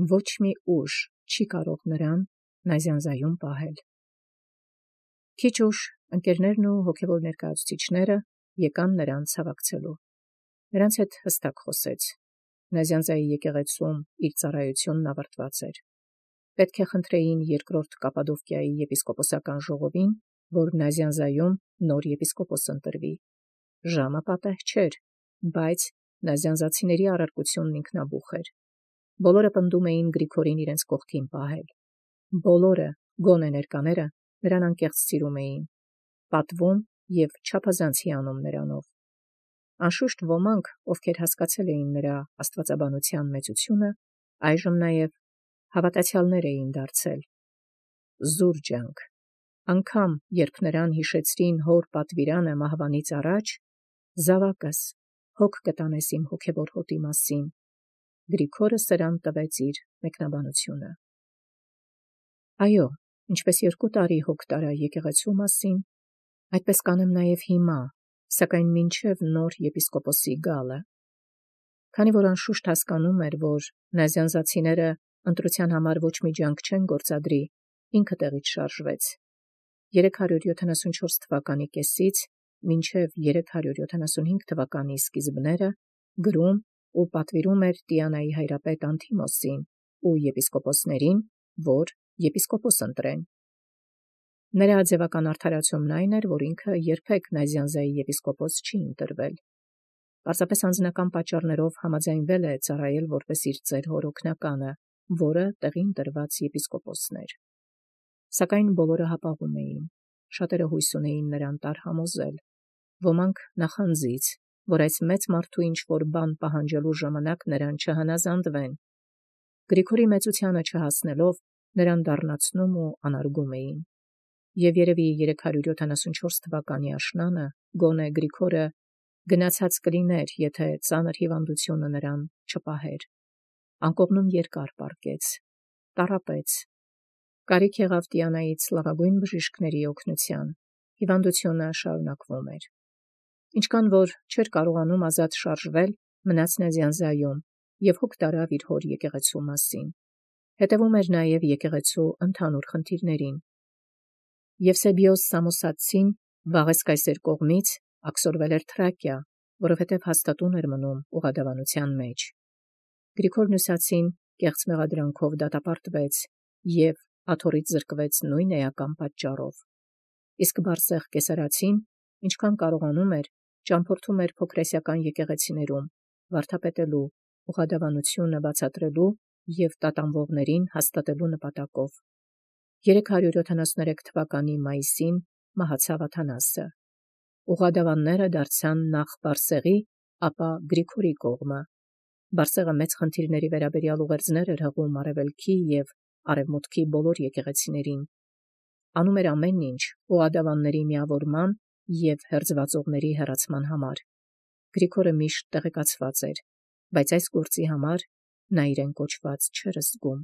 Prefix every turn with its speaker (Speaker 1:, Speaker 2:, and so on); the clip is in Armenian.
Speaker 1: ոչ մի ուժ չի կարող նրան նազանձայում պահել։ Քիչ ուշ ընկերներն ու հոգևոր ներկայացուցիչները եկան նրան ցավակցելու։ Նրանց հետ հստակ խոսեց. Նազանձայի եկեղեցում իր ծառայությունն ավարտված էր։ Պետք է խնդրեին երկրորդ Կապադովկիայի եպիսկոպոսական ժողովին, որ Նազանձայում նոր եպիսկոպոս ընտրվի։ Ժամը պատեհ չէր, բայց նազանձացիների առարկությունն ինքնաբուխ էր։ Բոլորը պնդում էին Գրիգորին իրենց կողքին պահել։ Բոլորը, գոնե ներկաները, նրան անկեղծ սիրում էին, պատվում և չափազանց հիանում նրանով։ Անշուշտ ոմանք, ովքեր հասկացել էին նրա աստվածաբանության մեծությունը, այժմ նաև հավատացյալներ էին դարձել։ Զուր ջանք։ Անգամ երբ նրան հիշեցրին հոր պատվիրանը մահվանից առաջ, զավակս, հոգ կտանես իմ հոգևոր հոտի մասին, Գրիգորը սրան տվեց իր մեկնաբանությունը։ Այո, ինչպես 2 տարի հոգ տարա եկեղեցու մասին, այդպես կանեմ նաև հիմա, սակայն մինչև նոր եպիսկոպոսի գալը։ Քանի որ անշուշտ հասկանում էր, որ նազանձացիները ընտրության համար ոչ մի ջանք չեն գործադրի, ինքը տեղից շարժվեց։ 374 թվականի կեսից մինչև 375 թվականի սկիզբները գրում ու պատվիրում էր Տիանայի հայրապետ Անթիմոսին ու եպիսկոպոսներին, որ եպիսկոպոս ընտրեն։ Նրա ձևական արդարացումն այն էր, որ ինքը երբեք Նազանձայի եպիսկոպոս չի ընտրվել։ Պարզապես անձնական պատճառներով համաձայնվել է ծառայել որպես իր ծեր հոր օգնականը, որը տեղին տրված եպիսկոպոսն էր։ Սակայն բոլորը հապաղում էին, շատերը հույս ունեին նրան տարհամոզել, ոմանք նախանձից, որ այս մեծ մարդու ինչ-որ բան պահանջելու ժամանակ նրան չհնազանդվեն։ Գրիգորի մեծությանը չհասնելով, նրան դառնացնում ու անարգում էին։ Եվ երևի 374 թվականի աշնանը գոնե Գրիգորը գնացած կլիներ, եթե ծանր հիվանդությունը նրան չպահեր։ Անկողնում երկար պառկեց, տառապեց։ Կարիք եղավ Տիանայից լավագույն բժիշկների օգնության, հիվանդությունը շարունակվում էր։ Ինչքան որ չէր կարողանում ազատ շարժվել, մնաց Նազանձայում և հոգ տարավ իր հոր եկեղեցու մասին։ Հետևում էր նաև եկեղեցու ընդհանուր խնդիրներին։ Եվսեբիոս Սամոսացին Վաղես կայսեր կողմից աքսորվել էր Թրակիա, որովհետև հաստատուն էր մնում ուղղադավանության մեջ։ Գրիգոր Նյուսացին կեղծ մեղադրանքով դատապարտվեց և աթոռից զրկվեց նույն էական պատճառով։ Իսկ Բարսեղ Կեսարացին, ինչքան կարողանում էր, ճամփորդում էր փոքրասիական եկեղեցիներում, վարդապետելու, ուղղադավանությունը բացատրելու և տատանվողներին հաստատելու նպատակով։ 373 թվականի մայիսին մահացավ Աթանասը։ Ուղղադավանները դարձան նախ Բարսեղի, ապա Գրիգորի կողմը։ Բարսեղը մեծ խնդիրների վերաբերյալ ուղերձներ էր հղում արևելքի և արևմուտքի բոլոր եկեղեցիներին։ Անում էր ամեն ինչ ուղղադավանների միավորման և հերձվածողների հեռացման համար։ Գրիգորը միշտ տեղեկացված էր, բայց այս գործի համար նա իրեն կոչված չէր զգում։